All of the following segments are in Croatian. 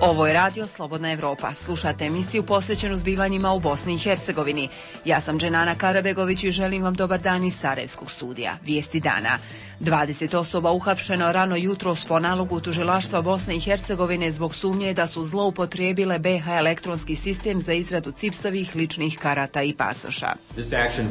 Ovo je Radio Slobodna Evropa. Slušate emisiju posvećenu zbivanjima u Bosni i Hercegovini. Ja sam Dženana Karabegović i želim vam dobar dan iz Sarajevskog studija. Vijesti dana. 20 osoba uhapšeno rano jutros po nalogu tužilaštva Bosne i Hercegovine zbog sumnje da su zloupotrijebile BiH elektronski sistem za izradu CIPS-ovih ličnih karata i pasoša.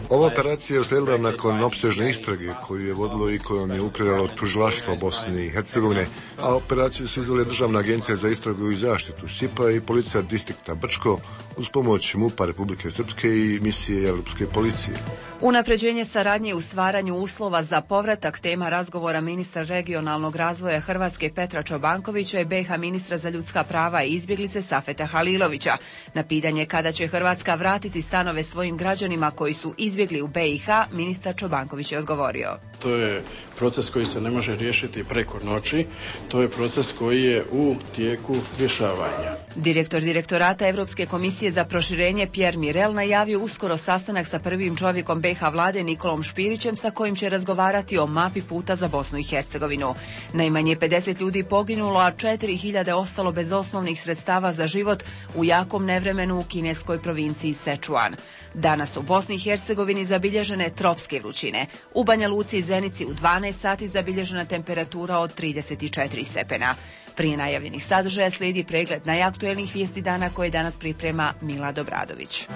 Ova operacija je uslijedila nakon opsežne istrage koju je vodilo i kojom je upravljalo tužilaštvo Bosne i Hercegovine, a operaciju su izvele Državna agencija za istragu i zaštitu SIP-a i policija distrikta Brčko uz pomoć MUP-a Republike Srpske i misije Europske policije. Unapređenje saradnje u stvaranju uslova za povratak tema razgovora ministra regionalnog razvoja Hrvatske Petra Čobankovića i BiH ministra za ljudska prava i izbjeglice Safeta Halilovića. Na pitanje kada će Hrvatska vratiti stanove svojim građanima koji su izbjegli u BiH, ministar Čobanković je odgovorio. To je proces koji se ne može riješiti preko noći, to je proces koji je u tijeku rješavanja. Direktor Direktorata Europske komisije za proširenje Pierre Mirel najavio uskoro sastanak sa prvim čovjekom BiH vlade Nikolom Špirićem sa kojim će razgovarati o mapi puta za Bosnu i Hercegovinu. Najmanje 50 ljudi poginulo, a 4000 ostalo bez osnovnih sredstava za život u jakom nevremenu u kineskoj provinciji Sečuan. Danas u Bosni i Hercegovini zabilježene tropske vrućine. U Banja Luci i Zenici u 12 sati zabilježena temperatura od 34 stepena. Prije najavljenih sadržaja slijedi pregled najaktuelnijih vijesti dana koje danas priprema Milad Obradović.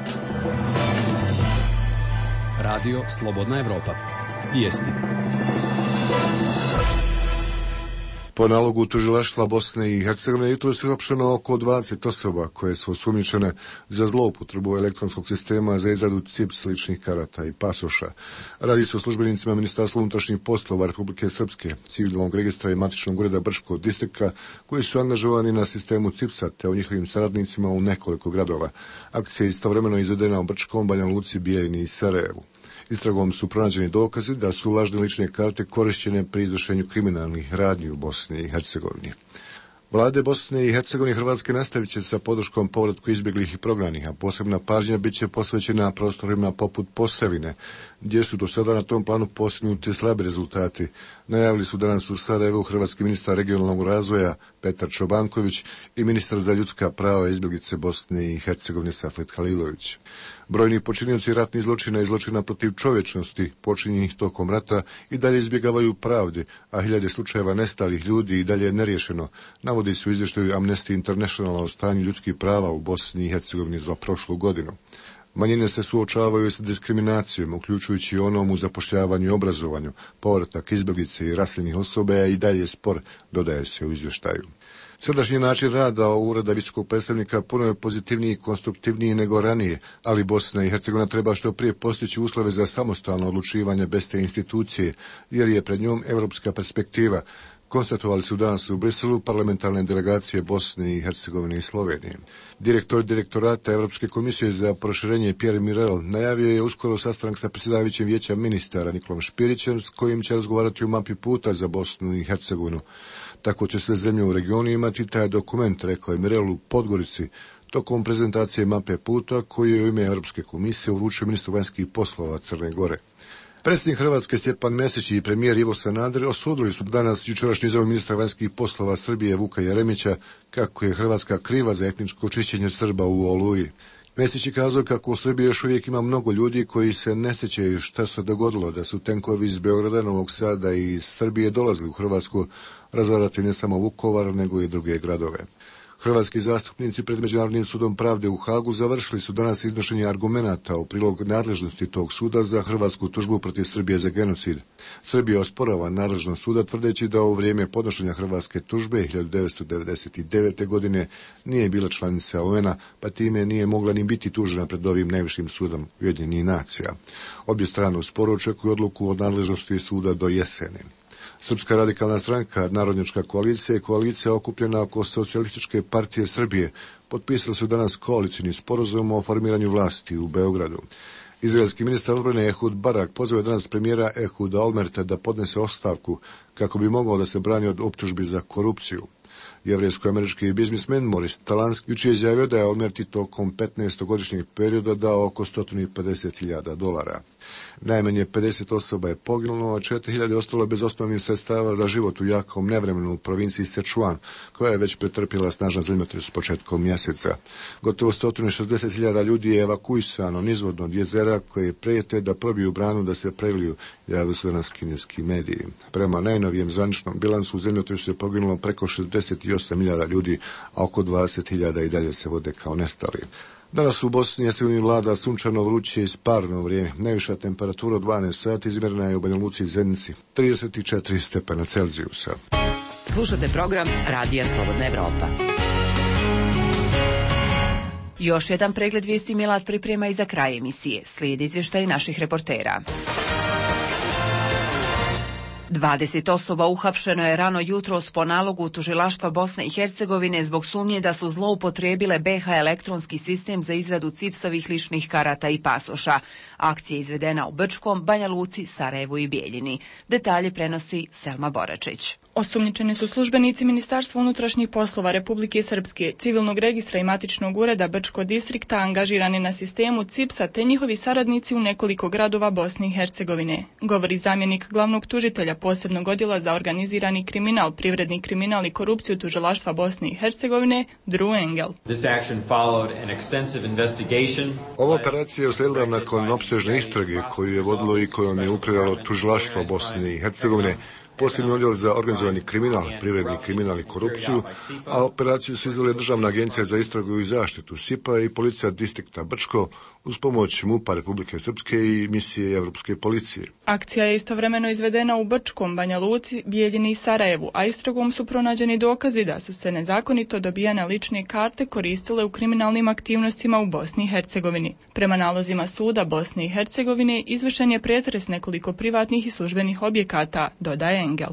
Radio Slobodna Evropa. Vijesti. Po nalogu tužilaštva Bosne i Hercegovine jutros je uhapšeno oko 20 osoba koje su osumnjičene za zloupotrebu elektronskog sistema za izradu CIPS ličnih karata i pasoša. Radi se o službenicima Ministarstva unutrašnjih poslova Republike Srpske, civilnog registra i matičnog ureda Brčkog distrikta koji su angažovani na sistemu CIPS-a te o njihovim saradnicima u nekoliko gradova. Akcija je istovremeno izvedena u Brčkom, Banja Luci, Bijajni i Sarajevu. Istragom su pronađeni dokazi da su lažne lične karte korišćene pri izvršenju kriminalnih radnji u Bosni i Hercegovini. Vlade Bosne i Hercegovine i Hrvatske nastavit će sa podrškom povratku izbjeglih i prognanih, a posebna pažnja bit će posvećena prostorima poput Posavine, gdje su do sada na tom planu postignuti slabi rezultati. Najavili su danas u Sarajevu hrvatski ministar regionalnog razvoja Petar Čobanković i ministar za ljudska prava i izbjeglice Bosne i Hercegovine Safet Halilović. Brojni počinioci ratnih zločina i zločina protiv čovječnosti počinjenih tokom rata i dalje izbjegavaju pravdi, a hiljade slučajeva nestalih ljudi i dalje je neriješeno, navodi se u izvještaju Amnesty International o stanju ljudskih prava u Bosni i Hercegovini za prošlu godinu. Manjine se suočavaju s diskriminacijom, uključujući i onom u zapošljavanju i obrazovanju. Povratak izbjeglice i raseljenih osoba je i dalje spor, dodaje se u izvještaju. Sadašnji način rada Ureda visokog predstavnika puno je pozitivniji i konstruktivniji nego ranije, ali Bosna i Hercegovina treba što prije postići uslove za samostalno odlučivanje bez te institucije, jer je pred njom europska perspektiva, konstatovali su danas u Briselu parlamentarne delegacije Bosne i Hercegovine i Slovenije. Direktor Direktorata Europske komisije za proširenje Pierre Mirel najavio je uskoro sastanak sa predsjedavajućim vijeća ministara Nikolom Špirićem s kojim će razgovarati o mapi puta za Bosnu i Hercegovinu. Tako će sve zemlje u regionu imati taj dokument, rekao je Mirel u Podgorici, tokom prezentacije mape puta koju je u ime Europske komisije uručio ministru vanjskih poslova Crne Gore. Predsjednik Hrvatske Stjepan Mesić i premijer Ivo Sanader osudili su danas jučerašnju izjavu ministra vanjskih poslova Srbije Vuka Jeremića kako je Hrvatska kriva za etničko čišćenje Srba u Oluji. Mesić je kazao kako u Srbiji još uvijek ima mnogo ljudi koji se ne sjećaju šta se dogodilo, da su tenkovi iz Beograda, Novog Sada i iz Srbije dolazili u Hrvatsku razarati ne samo Vukovar, nego i druge gradove. Hrvatski zastupnici pred Međunarodnim sudom pravde u Hagu završili su danas iznošenje argumenata u prilog nadležnosti tog suda za hrvatsku tužbu protiv Srbije za genocid. Srbija osporava nadležnost suda tvrdeći da u vrijeme podnošenja hrvatske tužbe 1999. godine nije bila članica UN-a, pa time nije mogla ni biti tužena pred ovim najvišim sudom Ujedinjenih nacija. Obje strane u sporu očekuju odluku o nadležnosti suda do jeseni. Srpska radikalna stranka, Narodnjačka koalicija i koalicija okupljena oko Socijalističke partije Srbije potpisali su danas koalicijni sporazum o formiranju vlasti u Beogradu. Izraelski ministar odbrane Ehud Barak pozvao je danas premijera Ehuda Olmerta da podnese ostavku kako bi mogao da se brani od optužbi za korupciju. Jevrejsko-američki biznismen Moris Talansky jučer izjavio da je Olmerti tokom 15-godišnjeg perioda dao oko $150.000. Najmanje 50 osoba je poginulo, a 4.000 ostalo bez osnovnih sredstava za život u jakom nevremenu u provinciji Sichuan, koja je već pretrpjela snažan zemljotres početkom mjeseca. Gotovo 160.000 ljudi je evakuisano nizvodno od jezera koje prijete da probiju branu da se preliju, javili su danas kineski mediji. Prema najnovijem zvaničnom bilansu u zemljotresu je poginulo preko 68.000 ljudi, a oko 20.000 i dalje se vode kao nestali. Danas u Bosni i Hercegovini vlada sunčano, vruće i sparno vrijeme. Najviša temperatura od 12 sati izmjerena je u Banja Luci i Zenici, 34 stepena Celzijusa. Slušate program Radija Slobodna Evropa. Još jedan pregled vijesti Milad priprema i za kraj emisije. Slijedi izvještaj naših reportera. 20 osoba uhapšeno je rano jutros po nalogu tužilaštva Bosne i Hercegovine zbog sumnje da su zloupotrijebile BiH elektronski sistem za izradu CIPS-ovih ličnih karata i pasoša. Akcija je izvedena u Brčkom, Banja Luci, Sarajevu i Bijeljini. Detalje prenosi Selma Boračić. Osumnjičeni su službenici Ministarstva unutrašnjih poslova Republike Srpske, civilnog registra i matičnog ureda Brčko distrikta angažirani na sistemu CIPS-a te njihovi saradnici u nekoliko gradova Bosne i Hercegovine, govori zamjenik glavnog tužitelja posebnog odjela za organizirani kriminal, privredni kriminal i korupciju tužilaštva Bosne i Hercegovine, Drew Engel. Ova operacija je uslijedila nakon opsežne istrage koju je vodilo i kojom je upravljalo tužilaštvo Bosne i Hercegovine, posebni odjel za organizovani kriminal, privredni kriminal i korupciju, a operaciju su izvele Državna agencija za istragu i zaštitu SIP-a i policija distrikta Brčko uz pomoć MUP-a Republike Srpske i misije Evropske policije. Akcija je istovremeno izvedena u Brčkom, Banja Luci, Bijeljini i Sarajevu, a istragom su pronađeni dokazi da su se nezakonito dobijane lične karte koristile u kriminalnim aktivnostima u Bosni i Hercegovini. Prema nalozima suda Bosne i Hercegovine izvršen je pretres nekoliko privatnih i službenih objekata, dodaje Engel.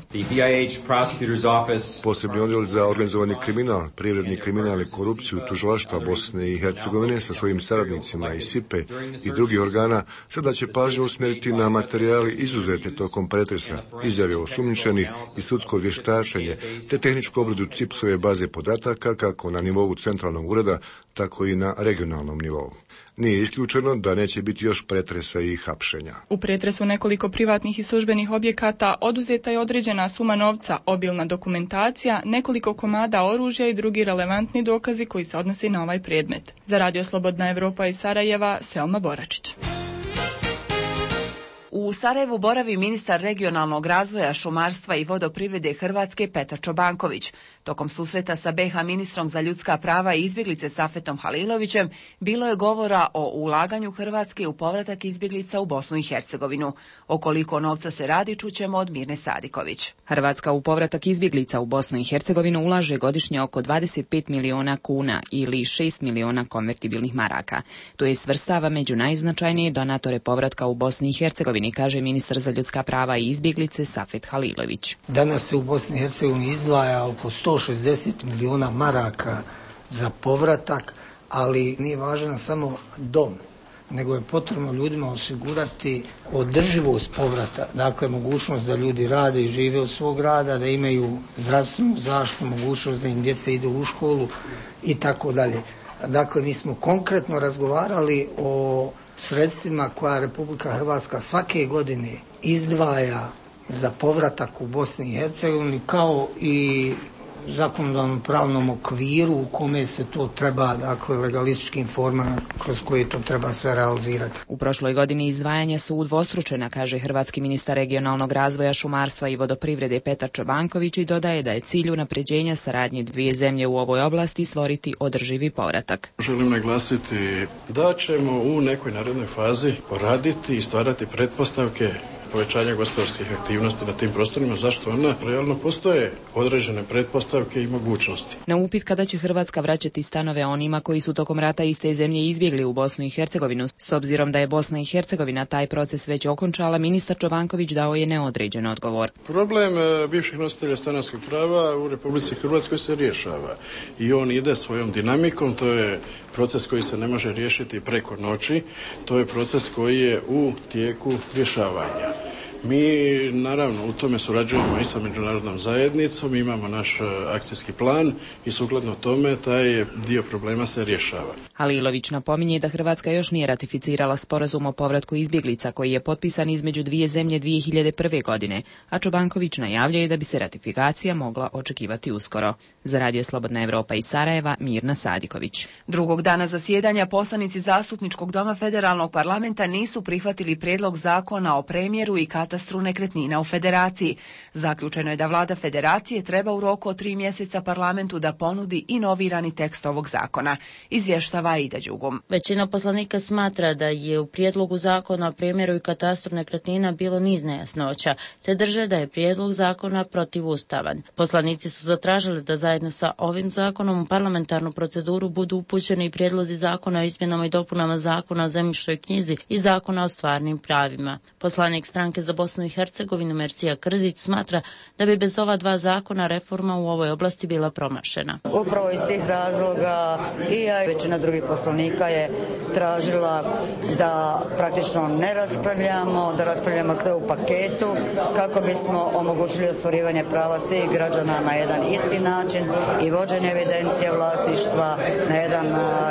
Posebni odjel za organizovani kriminal, privredni kriminal i korupciju tužilaštva Bosne i Hercegovine sa svojim saradnicima iz SIP-e i drugih organa sada će pažnju usmjeriti na materijali izuzete tokom pretresa, izjave osumnjičenih i sudsko vještačenje, te tehničku obradu CIPS-ove baze podataka kako na nivou centralnog ureda, tako i na regionalnom nivou. Nije isključeno da neće biti još pretresa i hapšenja. U pretresu nekoliko privatnih i službenih objekata oduzeta je određena suma novca, obilna dokumentacija, nekoliko komada oružja i drugi relevantni dokazi koji se odnosi na ovaj predmet. Za Radio Slobodna Evropa iz Sarajeva, Selma Boračić. U Sarajevu boravi ministar regionalnog razvoja, šumarstva i vodoprivrede Hrvatske Petar Čobanković. Tokom susreta sa BiH ministrom za ljudska prava i izbjeglice Safetom Halilovićem bilo je govora o ulaganju Hrvatske u povratak izbjeglica u Bosnu i Hercegovinu. O koliko novca se radi čućemo od Mirne Sadiković. Hrvatska u povratak izbjeglica u Bosnu i Hercegovinu ulaže godišnje oko 25 miliona kuna ili 6 miliona konvertibilnih maraka. To je svrstava među najznačajnije donatore povratka u Bosni i Hercegovini, kaže ministar za ljudska prava i izbjeglice Safet Halilović. Danas se u Bosni i Hercegovini izdvaja oko 160 miliona maraka za povratak, ali nije važan samo dom, nego je potrebno ljudima osigurati održivost povrata, dakle mogućnost da ljudi rade i žive od svog rada, da imaju zdravstvenu zaštitu, mogućnost da im djeca idu u školu i tako dalje. Dakle, mi smo konkretno razgovarali o sredstvima koja Republika Hrvatska svake godine izdvaja za povratak u Bosni i Hercegovini, kao i zakonodavnom pravnom okviru u kome se to treba, dakle, legalističkim formama kroz koje to treba sve realizirati. U prošloj godini izdvajanja su udvostručena, kaže hrvatski ministar regionalnog razvoja, šumarstva i vodoprivrede Petar Čobanković i dodaje da je cilj unapređenja saradnje dvije zemlje u ovoj oblasti stvoriti održivi povratak. Želim naglasiti da ćemo u nekoj narednoj fazi poraditi i stvarati pretpostavke povećanja gospodarskih aktivnosti na tim prostorima, zašto ona realno postoje određene pretpostavke i mogućnosti. Na upit kada će Hrvatska vraćati stanove onima koji su tokom rata iste zemlje izbjegli u Bosnu i Hercegovinu, s obzirom da je Bosna i Hercegovina taj proces već okončala, ministar Čobanković dao je neodređen odgovor. Problem bivših nositelja stanarskog prava u Republici Hrvatskoj se rješava i on ide svojom dinamikom, to je proces koji se ne može riješiti preko noći, to je proces koji je u tijeku rješavanja. Mi naravno u tome surađujemo i sa međunarodnom zajednicom, imamo naš akcijski plan i sukladno tome taj dio problema se rješava. Halilović napominje da Hrvatska još nije ratificirala sporazum o povratku izbjeglica koji je potpisan između dvije zemlje 2001. godine, a Čobanković najavljuje da bi se ratifikacija mogla očekivati uskoro. Za Radio Slobodna Evropa iz Sarajeva, Mirna Sadiković. Drugog dana zasjedanja poslanici Zastupničkog doma Federalnog parlamenta nisu prihvatili prijedlog zakona o premjeru i katastru nekretnina u Federaciji. Zaključeno je da vlada Federacije treba u roku od 3 mjeseca parlamentu da ponudi inovirani tekst ovog zakona. Izvještava Aida Đugum. Većina poslanika smatra da je u prijedlogu zakona o premjeru i katastru nekretnina bilo niz nejasnoća, te drže da je prijedlog zakona protivustavan. Poslanici su zatražili da zajedno sa ovim zakonom u parlamentarnu proceduru budu upućeni prijedlozi zakona o izmjenama i dopunama zakona o zemljišnoj knjizi i zakona o stvarnim pravima. Poslanik stranke za Bosnu i Hercegovinu Mersija Krzić smatra da bi bez ova 2 zakona reforma u ovoj oblasti bila promašena. Upravo iz tih razloga i ja i većina drugih poslanika je tražila da praktično ne raspravljamo, da raspravljamo sve u paketu kako bismo omogućili ostvarivanje prava svih građana na jedan isti način i vođenje evidencije vlasništva na jedan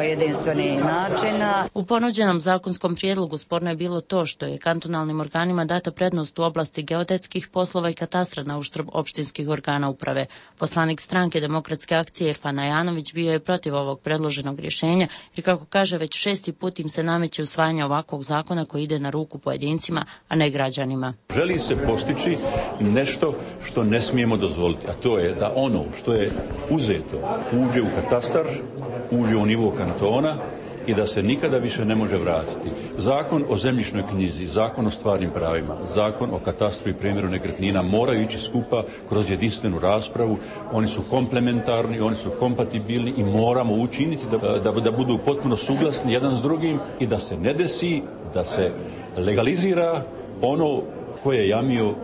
jedinstveni način. U ponuđenom zakonskom prijedlogu sporno je bilo to što je kantonalnim organima data prednost u oblasti geodetskih poslova i katastra na uštrb opštinskih organa uprave. Poslanik stranke Demokratske akcije Irfan Ajanović bio je protiv ovog predloženog rješenja jer, kako kaže, već 6. put im se nameće usvajanje ovakvog zakona koji ide na ruku pojedincima, a ne građanima. Želi se postići nešto što ne smijemo dozvoliti, a to je da ono što je uzeto uđe u katastar, uđe u nivo kantona i da se nikada više ne može vratiti. Zakon o zemljišnoj knjizi, zakon o stvarnim pravima, zakon o katastru i premjeru nekretnina moraju ići skupa kroz jedinstvenu raspravu. Oni su komplementarni, oni su kompatibilni i moramo učiniti da budu potpuno suglasni jedan s drugim i da se ne desi da se legalizira ono koje je jamio.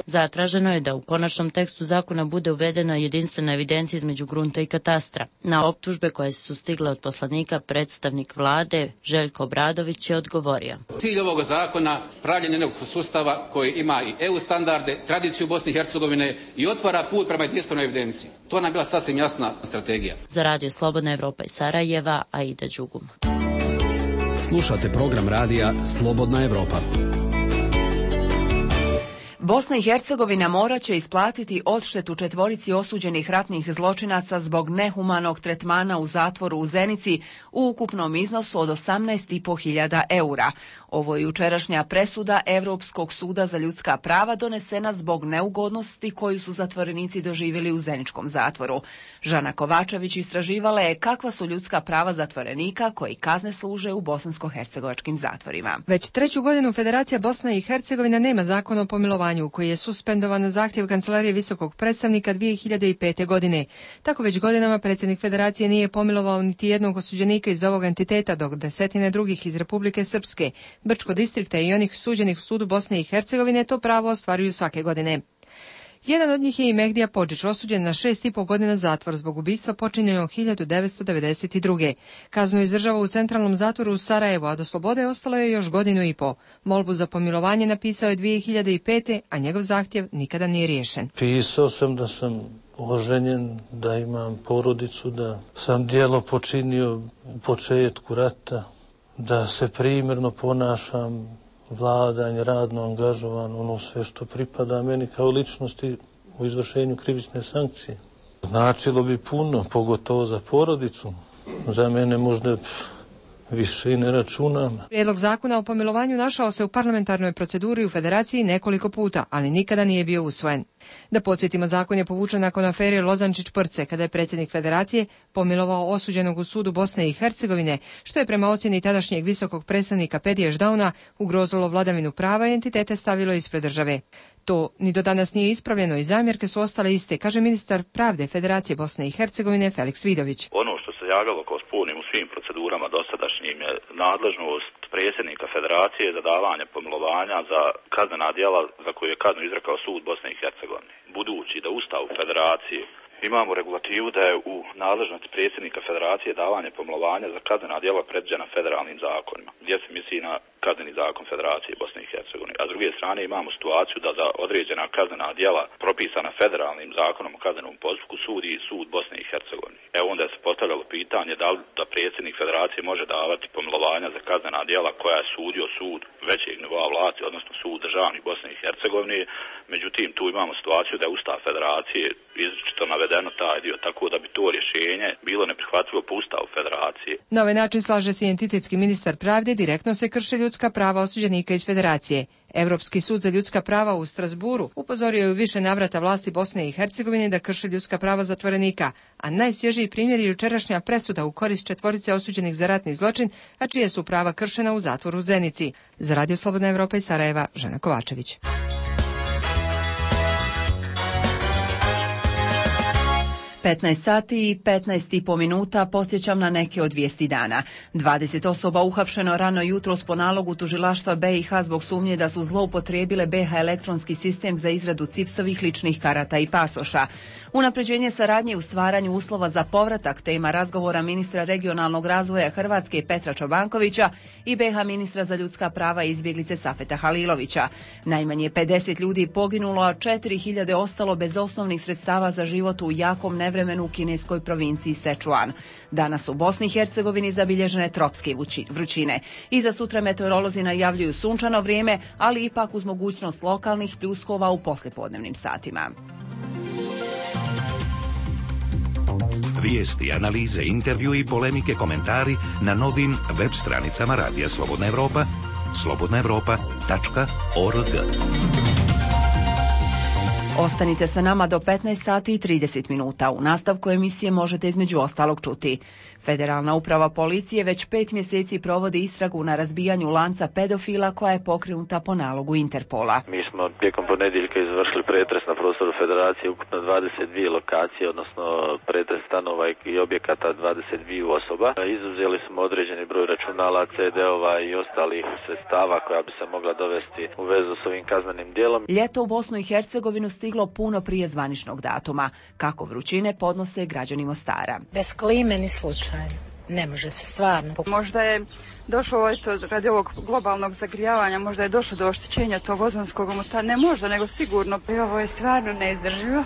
Zatraženo je da u konačnom tekstu zakona bude uvedena jedinstvena evidencija između grunta i katastra. Na optužbe koje su stigle od poslanika, predstavnik vlade Željko Obradović je odgovorio. Cilj ovog zakona pravljenje jednog sustava koji ima i EU standarde, tradiciju Bosne i Hercegovine i otvara put prema jedinstvenoj evidenciji. To nam je bila sasvim jasna strategija. Za Radio Slobodna Evropa iz Sarajeva, Aida Đugum. Slušate program radija Slobodna Evropa. Bosna i Hercegovina morat će isplatiti odštetu 4 osuđenih ratnih zločinaca zbog nehumanog tretmana u zatvoru u Zenici u ukupnom iznosu od 18.500 eura. Ovo je jučerašnja presuda Europskog suda za ljudska prava donesena zbog neugodnosti koju su zatvorenici doživjeli u zeničkom zatvoru. Žana Kovačević istraživala je kakva su ljudska prava zatvorenika koji kazne služe u bosansko-hercegovačkim zatvorima. Već 3. godinu Federacija Bosna i Hercegovina nema zakon o pomilovanju koji je suspendovan na zahtjev Kancelarije visokog predstavnika 2005. godine. Tako već godinama predsjednik Federacije nije pomilovao niti jednog osuđenika iz ovog entiteta, dok desetine drugih iz Republike Srpske, Brčko distrikta i onih suđenih u sudu Bosne i Hercegovine to pravo ostvaruju svake godine. Jedan od njih je i Mehdija Podžić, osuđen na 6,5 godina zatvor zbog ubistva počinjenog 1992. Kaznu je izdržavao u centralnom zatvoru u Sarajevu, a do slobode ostalo je još 1,5 godine. Molbu za pomilovanje napisao je 2005. a njegov zahtjev nikada nije riješen. Pisao sam da sam oženjen, da imam porodicu, da sam djelo počinio u početku rata, da se primjerno ponašam, vladanje, radno angažovan, ono sve što pripada meni kao ličnosti u izvršenju krivične sankcije. Značilo bi puno, pogotovo za porodicu. Za mene možda više i ne računam. Prijedlog zakona o pomilovanju našao se u parlamentarnoj proceduri u Federaciji nekoliko puta, ali nikada nije bio usvojen. Da podsjetimo, zakon je povučen nakon afere Lozančić-Prce, kada je predsjednik Federacije pomilovao osuđenog u sudu Bosne i Hercegovine, što je prema ocjeni tadašnjeg visokog predstavnika Pedija Ždauna ugrozilo vladavinu prava i entitete stavilo ispred države. To ni do danas nije ispravljeno i zamjerke su ostale iste, kaže ministar pravde Federacije Bosne i Hercegovine Feliks Vidović. Ono što se javljalo kao spornim u svim procedurama dosadašnjim je nadležnost predsjednika Federacije za davanje pomilovanja za kaznena djela za koje je kaznu izrekao sud Bosne i Hercegovine. Budući da Ustav Federacije imamo regulativu da je u nadležnosti predsjednika Federacije davanje pomilovanja za kaznena djela predviđena federalnim zakonima, gdje se misli na kazneni zakon Federacije Bosne i Hercegovine. A s druge druge strane imamo situaciju da za određena kaznena djela propisana federalnim zakonom o kaznenom postupku sudi sud Bosne i Hercegovine. Evo onda se postavljalo pitanje da li da predsjednik federacije može davati pomilovanja za kaznena djela koja je sudio sud većeg nivoa vlasti, odnosno sud državnih Bosne i Hercegovine. Međutim, tu imamo situaciju da je Ustav federacije izričito navedeno taj dio, tako da bi to rješenje bilo neprihvatljivo po Ustavu federacije. Na ovaj način, slaže se identitetski ministar pravde, direktno se krše ljudska prava osuđenika iz federacije. Europski sud za ljudska prava u Strasburu upozorio je u više navrata vlasti Bosne i Hercegovine da krše ljudska prava zatvorenika, a najsvježiji primjer je jučerašnja presuda u korist 4 osuđenih za ratni zločin, a čije su prava kršena u zatvoru u Zenici. Za Radio Slobodna Evropa iz Sarajeva, Žena Kovačević. 15 sati i 15,5 minuta posjećam na neke od vijesti dana. 20 osoba uhapšeno rano jutros po nalogu tužilaštva BiH zbog sumnje da su zloupotrijebile BiH elektronski sistem za izradu CIPS-ovih ličnih karata i pasoša. Unapređenje saradnje u stvaranju uslova za povratak, tema razgovora ministra regionalnog razvoja Hrvatske Petra Čobankovića i BiH ministra za ljudska prava i izbjeglice Safeta Halilovića. Najmanje 50 ljudi poginulo, a 4.000 ostalo bez osnovnih sredstava za život u jakom nevremenu u kineskoj provinciji Sečuan. Danas u Bosni i Hercegovini zabilježene tropske vrućine. I za sutra meteorolozi najavljuju sunčano vrijeme, ali ipak uz mogućnost lokalnih pljuskova u poslijepodnevnim satima. Vijesti, analize, intervju i polemike, komentari na novim web stranicama Radija Slobodna Evropa, slobodnaevropa.org. Ostanite sa nama do 15 sati i 30 minuta. U nastavku emisije možete između ostalog čuti. Federalna uprava policije već 5 mjeseci provodi istragu na razbijanju lanca pedofila koja je pokrenuta po nalogu Interpola. Mi smo tijekom ponedjeljka izvršili pretres na prostoru Federacije, ukupno 22 lokacije, odnosno pretres stanova i objekata 22 osoba. Izuzeli smo određeni broj računala, CD-ova i ostalih sredstava koja bi se mogla dovesti u vezu s ovim kaznenim djelom. Ljeto u Bosnu i Hercegovinu stiglo puno prije zvaničnog datuma. Kako vrućine podnose građani Mostara. Bez klime ni slučaj. Ne može se stvarno. Možda je došlo radi ovog globalnog zagrijavanja, možda je došlo do oštećenja tog ozonskog omota. Ne možda, nego sigurno. I ovo je stvarno neizdrživo.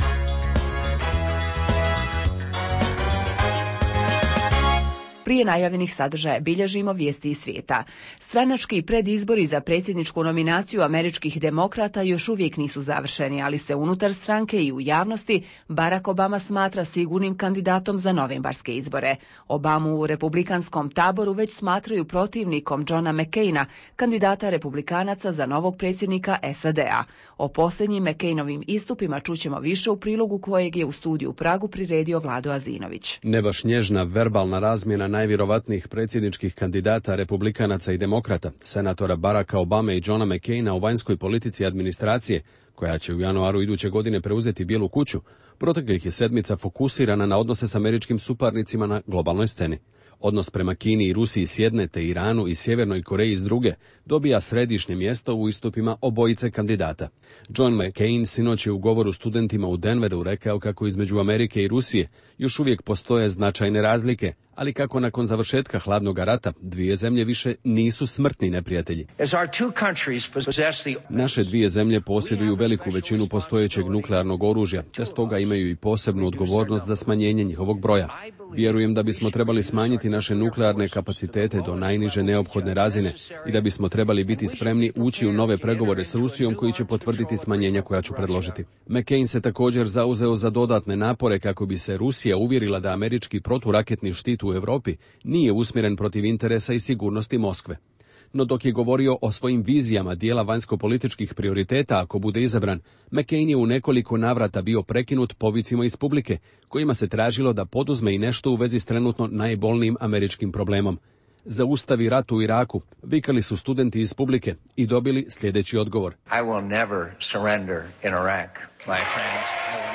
Prije najavljenih sadržaja bilježimo vijesti iz svijeta. Stranački predizbori za predsjedničku nominaciju američkih demokrata još uvijek nisu završeni, ali se unutar stranke i u javnosti Barack Obama smatra sigurnim kandidatom za novembarske izbore. Obamu u republikanskom taboru već smatraju protivnikom Johna McCaina, kandidata republikanaca za novog predsjednika SAD-a. O posljednjim McCainovim istupima čućemo više u prilogu kojeg je u studiju u Pragu priredio Vlado Azinović. Ne baš nježna verbalna razmjena najvjerovatnijih predsjedničkih kandidata republikanaca i demokrata, senatora Baracka Obame i Johna McCaina u vanjskoj politici administracije, koja će u januaru iduće godine preuzeti Bijelu kuću, proteklih je sedmica fokusirana na odnose s američkim suparnicima na globalnoj sceni. Odnos prema Kini i Rusiji s jedne, te Iranu i Sjevernoj Koreji s druge, dobija središnje mjesto u istupima obojice kandidata. John McCain sinoć je u govoru studentima u Denveru rekao kako između Amerike i Rusije još uvijek postoje značajne razlike, ali kako nakon završetka hladnog rata dvije zemlje više nisu smrtni neprijatelji. Naše dvije zemlje posjeduju veliku većinu postojećeg nuklearnog oružja, te stoga imaju i posebnu odgovornost za smanjenje njihovog broja. Vjerujem da bismo trebali smanjiti naše nuklearne kapacitete do najniže neophodne razine i da bismo trebali biti spremni ući u nove pregovore s Rusijom koji će potvrditi smanjenja koja ću predložiti. McCain se također zauzeo za dodatne napore kako bi se Rusija uvjerila da američki proturaketni štit u Europi nije usmjeren protiv interesa i sigurnosti Moskve. No dok je govorio o svojim vizijama dijela vanjsko-političkih prioriteta ako bude izabran, McCain je u nekoliko navrata bio prekinut povicima iz publike, kojima se tražilo da poduzme i nešto u vezi s trenutno najbolnijim američkim problemom. Zaustavi rat u Iraku, vikali su studenti iz publike i dobili sljedeći odgovor.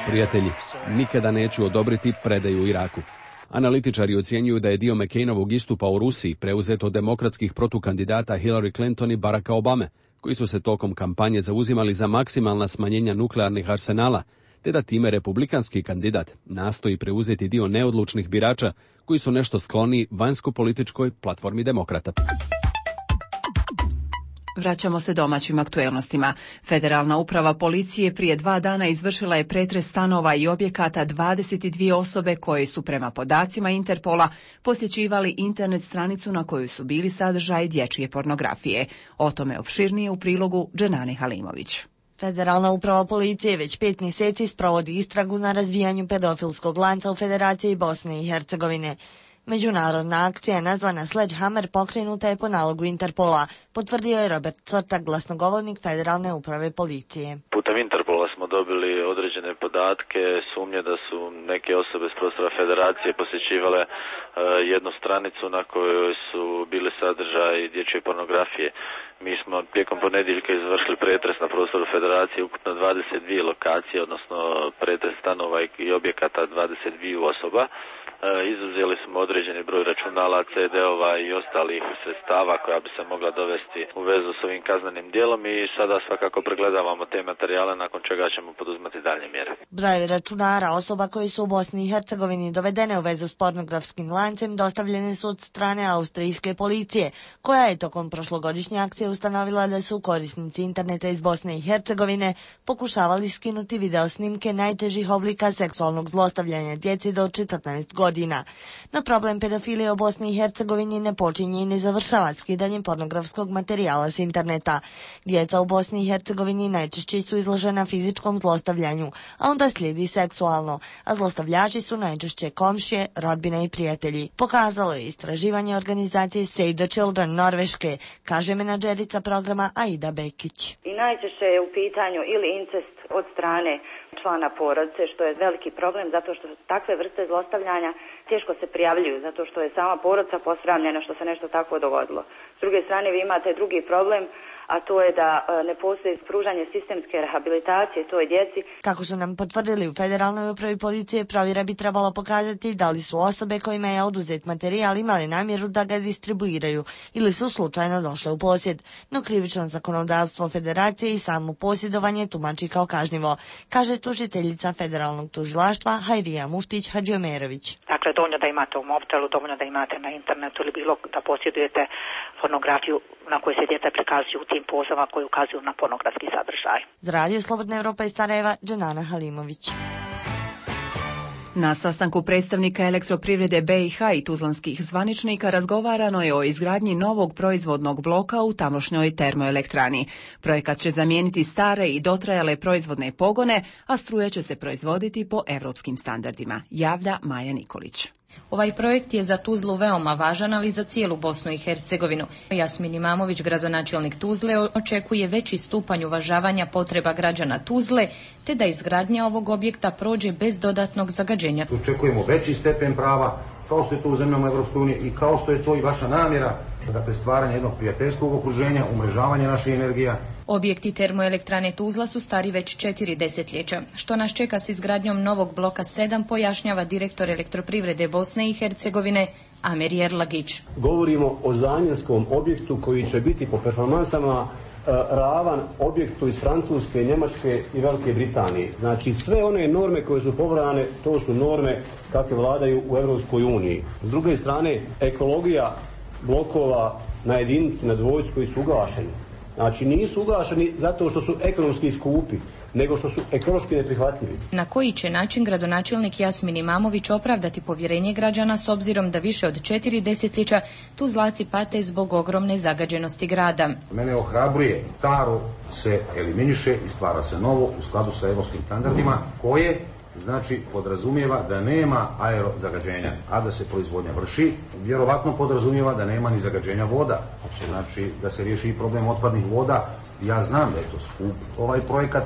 Prijatelji, nikada neću odobriti predaju Iraku. Analitičari ocjenjuju da je dio McCainovog istupa u Rusiji preuzet od demokratskih protukandidata Hillary Clinton i Baracka Obame, koji su se tokom kampanje zauzimali za maksimalna smanjenja nuklearnih arsenala, te da time republikanski kandidat nastoji preuzeti dio neodlučnih birača koji su nešto skloni vanjsko-političkoj platformi demokrata. Vraćamo se domaćim aktuelnostima. Federalna uprava policije prije 2 dana izvršila je pretres stanova i objekata 22 osobe koje su prema podacima Interpola posjećivali internet stranicu na kojoj su bili sadržaji dječje pornografije. O tome opširnije u prilogu Dženane Halimović. Federalna uprava policije već 5 mjeseci sprovodi istragu na razvijanju pedofilskog lanca u Federaciji Bosne i Hercegovine. Međunarodna akcija nazvana Sledgehammer pokrenuta je po nalogu Interpola, potvrdio je Robert Cvrtak, glasnogovornik Federalne uprave policije. Putem Interpola smo dobili određene podatke, sumnje da su neke osobe s prostora Federacije posjećivale jednu stranicu na kojoj su bili sadržaji dječje pornografije. Mi smo tijekom ponedjeljka izvršili pretres na prostoru Federacije ukupno 22 lokacije, odnosno pretres stanova i objekata 22 osoba. Izuzeli smo određeni broj računala, CD-ova i ostalih sredstava koja bi se mogla dovesti u vezu s ovim kaznenim djelom i sada svakako pregledavamo te materijale, nakon čega ćemo poduzimati dalje mjere. Broj računara osoba koji su u Bosni i Hercegovini dovedene u vezu s pornografskim lancem dostavljene su od strane austrijske policije, koja je tokom prošlogodišnje akcije ustanovila da su korisnici interneta iz Bosne i Hercegovine pokušavali skinuti video snimke najtežih oblika seksualnog zlostavljanja djeci do 14 godina. No problem pedofilije u Bosni i Hercegovini ne počinje i ne završava skidanjem pornografskog materijala s interneta. Djeca u Bosni i Hercegovini najčešće su izložena fizičkom zlostavljanju, a onda slijedi seksualno, a zlostavljači su najčešće komšije, rodbine i prijatelji. Pokazalo je istraživanje organizacije Save the Children Norveške, kaže menadžerica programa Aida Bekić. I najčešće je u pitanju ili incest od strane člana porodice, što je veliki problem zato što takve vrste zlostavljanja teško se prijavljuju, zato što je sama porodica posramljena što se nešto takvo dogodilo. S druge strane vi imate drugi problem, a to je da ne postoji pružanje sistemske rehabilitacije toj djeci. Kako su nam potvrdili u Federalnoj upravi policije, provjera bi trebala pokazati da li su osobe kojima je oduzet materijal imali namjeru da ga distribuiraju ili su slučajno došle u posjed. No krivično zakonodavstvo Federacije i samo posjedovanje tumači kao kažnjivo, kaže tužiteljica Federalnog tužilaštva Hajrija Muftić Hadžiomerović. Dakle, dovoljno da imate u mobitelu, dovoljno da imate na internetu ili bilo da posjedujete pornografiju na kojoj se djeca prikazuju u tim pozama koji ukazuju na pornografski sadržaj. Za Radio Slobodna Evropa iz Sarajeva, Dženana Halimović. Na sastanku predstavnika Elektroprivrede BiH i tuzlanskih zvaničnika razgovarano je o izgradnji novog proizvodnog bloka u tamošnjoj termoelektrani. Projekat će zamijeniti stare i dotrajale proizvodne pogone, a struja će se proizvoditi po evropskim standardima, javlja Maja Nikolić. Ovaj projekt je za Tuzlu veoma važan, ali i za cijelu Bosnu i Hercegovinu. Jasmin Imamović, gradonačelnik Tuzle, očekuje veći stupanj uvažavanja potreba građana Tuzle, te da izgradnja ovog objekta prođe bez dodatnog zagađenja. Očekujemo veći stepen prava, kao što je to u zemljama Evropske unije i kao što je to i vaša namjera, dakle stvaranje jednog prijateljskog okruženja, umrežavanje naših energija. Objekti termoelektrane Tuzla su stari već 4 desetljeća. Što nas čeka s izgradnjom novog bloka 7, pojašnjava direktor Elektroprivrede Bosne i Hercegovine Amer Jerlagić. Govorimo o zamjenskom objektu koji će biti po performansama ravan objektu iz Francuske, Njemačke i Velike Britanije. Znači sve one norme koje su pobrane, to su norme kakve vladaju u Europskoj uniji. S druge strane, ekologija blokova na jedinici, na dvojcu koji su ugašeni. Znači nisu ugašeni zato što su ekonomski skupi, nego što su ekološki neprihvatljivi. Na koji će način gradonačelnik Jasmin Imamović opravdati povjerenje građana s obzirom da više od 4 desetljeća Tuzlaci pate zbog ogromne zagađenosti grada? Mene ohrabruje, staro se eliminiše i stvara se novo u skladu sa europskim standardima koje znači podrazumijeva da nema aerozagađenja, a da se proizvodnja vrši, vjerovatno podrazumijeva da nema ni zagađenja voda, znači da se riješi i problem otpadnih voda. Ja znam da je to skup ovaj projekat,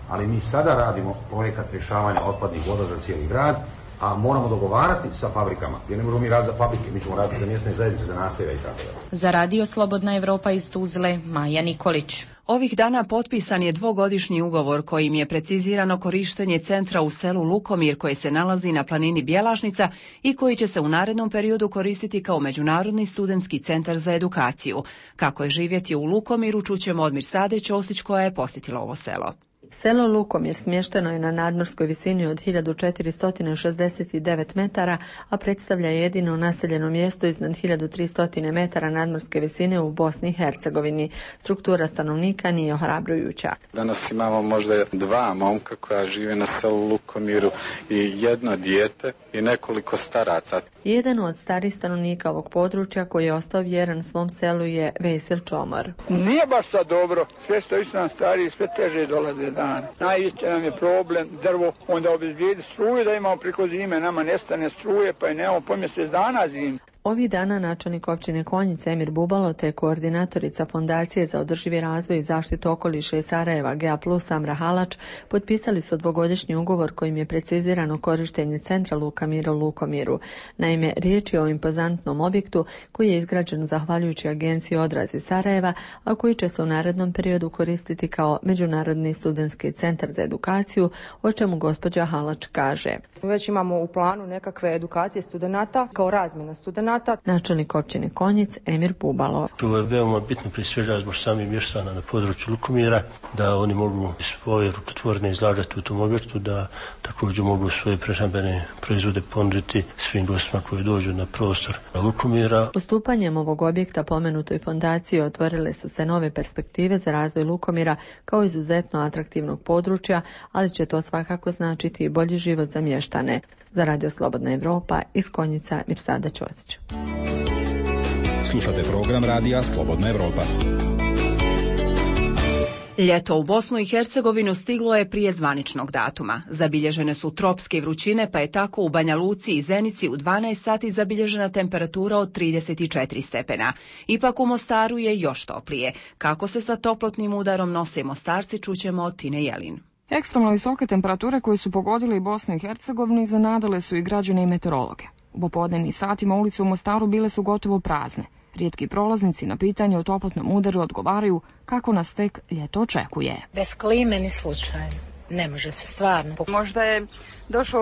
ali mi sada radimo projekat rješavanja otpadnih voda za cijeli grad, a moramo dogovarati sa fabrikama, jer ne možemo mi raditi za fabrike, mi ćemo raditi za mjesne zajednice, za naselja i tako dalje. Za Radio Slobodna Evropa iz Tuzle, Maja Nikolić. Ovih dana potpisan je 2-godišnji ugovor kojim je precizirano korištenje centra u selu Lukomir koje se nalazi na planini Bjelašnica i koji će se u narednom periodu koristiti kao međunarodni studentski centar za edukaciju. Kako je živjeti u Lukomiru, čućemo od Mirsade Ćosić koja je posjetila ovo selo. Selo Lukomir smješteno je na nadmorskoj visini od 1469 metara, a predstavlja jedino naseljeno mjesto iznad 1300 metara nadmorske visine u Bosni i Hercegovini. Struktura stanovnika nije ohrabrujuća. Danas imamo možda 2 momka koja žive na selu Lukomiru i 1 dijete i nekoliko staraca. Jedan od starih stanovnika ovog područja koji je ostao vjeran svom selu je Vesil Čomor. Nije baš sad dobro, sve što više nam stariji, sve teže dolaze dan. Najveći nam je problem drvo, onda obezbijedi struju da imamo preko zime, nama nestane struje pa je nemamo po mjesec dana zime. Ovih dana načelnik općine Konjic Emir Bubalo te koordinatorica Fondacije za održivi razvoj i zaštitu okoliša iz Sarajeva GA+ Amra Halač potpisali su 2-godišnji ugovor kojim je precizirano korištenje centra Luka Mira u Lukomiru. Naime, riječ je o impozantnom objektu koji je izgrađen zahvaljujući agenciji Odraz iz Sarajeva, a koji će se u narednom periodu koristiti kao Međunarodni studentski centar za edukaciju, o čemu gospođa Halač kaže. Već imamo u planu nekakve edukacije studenata kao razmjena studenata. Načelnik općine Konjic Emir Bubalo. To je veoma bitno prije svega zbog samih mještana na području Lukomira, da oni mogu svoje rukotvorne izlagati u tom objektu, da također mogu svoje prehrambene proizvode ponuditi svim gostima koji dođu na prostor Lukomira. Ustupanjem ovog objekta pomenutoj fondaciji otvorile su se nove perspektive za razvoj Lukomira kao izuzetno atraktivnog područja, ali će to svakako značiti i bolji život za mještane. Za Radio Slobodna Evropa iz Konjica Mirsada Ćosić. Slušate program Radija Slobodna Evropa. Ljeto u Bosnu i Hercegovinu stiglo je prije zvaničnog datuma. Zabilježene su tropske vrućine, pa je tako u Banja Luci i Zenici u 12 sati zabilježena temperatura od 34 stepena. Ipak u Mostaru je još toplije. Kako se sa toplotnim udarom nose Mostarci, čućemo od Tine Jelin. Ekstremno visoke temperature koje su pogodile i Bosnu i Hercegovinu iznenadile su i građane i meteorologe. U popodnevnim satima ulice u Mostaru bile su gotovo prazne. Rijetki prolaznici na pitanje o toplotnom udaru odgovaraju kako nas tek ljeto očekuje. Bez klime ni slučajno. Ne može se stvarno. Možda je došlo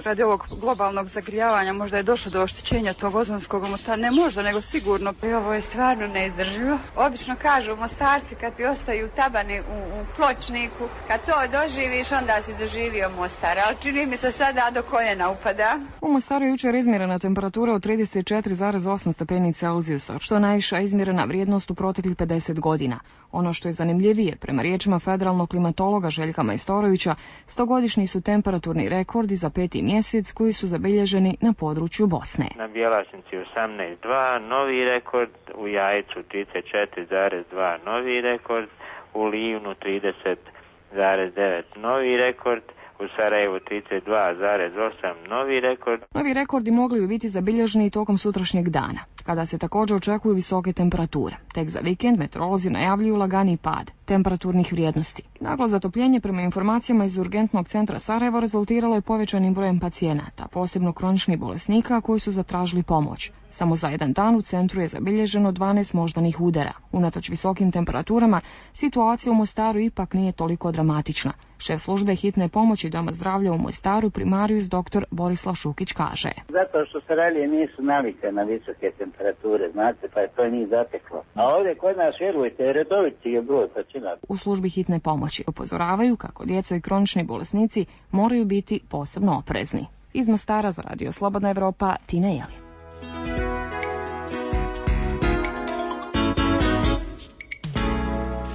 radi ovog globalnog zagrijavanja, možda je došlo do oštećenja tog ozonskog omota. Ne možda, nego sigurno. I ovo je stvarno neizdrživo. Obično kažu Mostarci kad ti ostaju tabani u pločniku, kad to doživiš onda si doživio Mostar, ali čini mi se sada do koljena upada. U Mostaru je jučer izmjerena temperatura od 34,8 stepeni Celzijusa, što je najviša izmjerena vrijednost u proteklih 50 godina. Ono što je zanimljivije, prema riječima federalnog klimatologa Željka Majstorovića, 100-godišnji su temperaturni rekordi za 5. mjesec koji su zabilježeni na području Bosne. Na Bjelašnici 18,2 novi rekord, u Jajcu 34,2 novi rekord, u Livnu 30,9 novi rekord, u Sarajevu 32,8 novi rekord. Novi rekordi mogli bi biti zabilježeni tokom sutrašnjeg dana, kada se također očekuju visoke temperature. Tek za vikend meteorolozi najavljuju lagani pad temperaturnih vrijednosti. Naglo zatopljenje prema informacijama iz urgentnog centra Sarajevo rezultiralo je povećanim brojem pacijenata, posebno kroničnih bolesnika koji su zatražili pomoć. Samo za jedan dan u centru je zabilježeno 12 moždanih udara. Unatoč visokim temperaturama, situacija u Mostaru ipak nije toliko dramatična. Šef službe hitne pomoći Doma zdravlja u Mostaru, primarijus dr. Borislav Šukić kaže. Zato što Sarajlije nisu navike na visoke temperature, znate, pa je to njih zateklo. A ovdje kod nas, vjerujte, redoviti je broj pacijenata. U službi hitne pomoći upozoravaju kako djeca i kronični bolesnici moraju biti posebno oprezni. Iz Mostara za Radio Slobodna Evropa, Tina Jelin.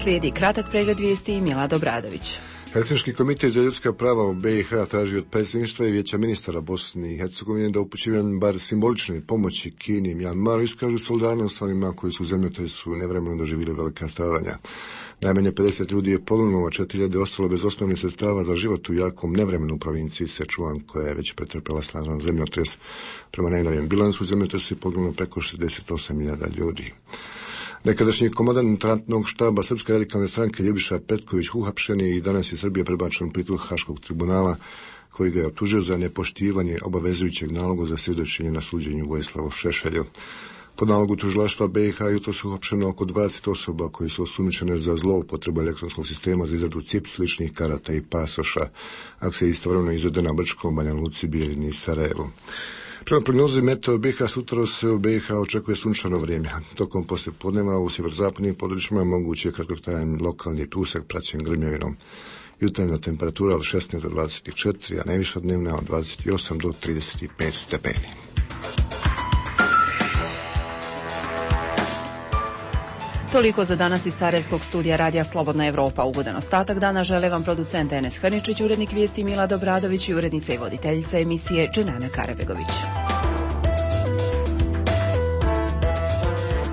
Slijedi kratak pregled vijesti i Milad Obradović. Helsinški komitet za ljudska prava u BiH traži od predsjedništva i vijeća ministara Bosne i Hercegovine da upućivanjem bar simbolične pomoći Kini i Mjanmaru iskažu solidarnost s onima koji su u zemljotresu nevremeno doživjeli velika stradanja. Najmanje 50 ljudi je poginulo, a 4.000 ostalo bez osnovnih sredstava za život u jakom nevremenu u provinciji Sečuan, koja je već pretrpela snažan zemljotres. Prema najnovijem bilansu zemljotresu je poginulo preko 68.000 ljudi. Nekadašnji komandant ratnog štaba Srpske radikalne stranke Ljubiša Petković uhapšen je i danas je Srbija prebačen u pritvor Haškog tribunala, koji ga je optužio za nepoštivanje obavezujućeg naloga za svjedočenje na suđenju Vojislavu Šešelju. Po nalogu tužilaštva BiH jutros su uhapšeno oko 20 osoba koji su osumnjičene za zloupotrebu elektronskog sistema za izradu CIPS, ličnih karata i pasoša. Akcija je istovremeno izvedena Brčkom, Banja Luci, Bijeljini i Sarajevu. Prema prognozi meteo BiH sutra se u BiH očekuje sunčano vrijeme. Tokom poslijepodneva u sjeverozapadnim područjima moguće je kratkotrajan lokalni pljusak praćen grmljavinom. Jutarnja temperatura od 16 do 24, a najviša dnevna od 28 do 35 stepeni. Toliko za danas iz Sarajevskog studija Radija Slobodna Evropa. Ugodan ostatak dana žele vam producent Enes Hrničić, urednik vijesti Milad Obradović i urednica i voditeljica emisije Dženana Karabegović.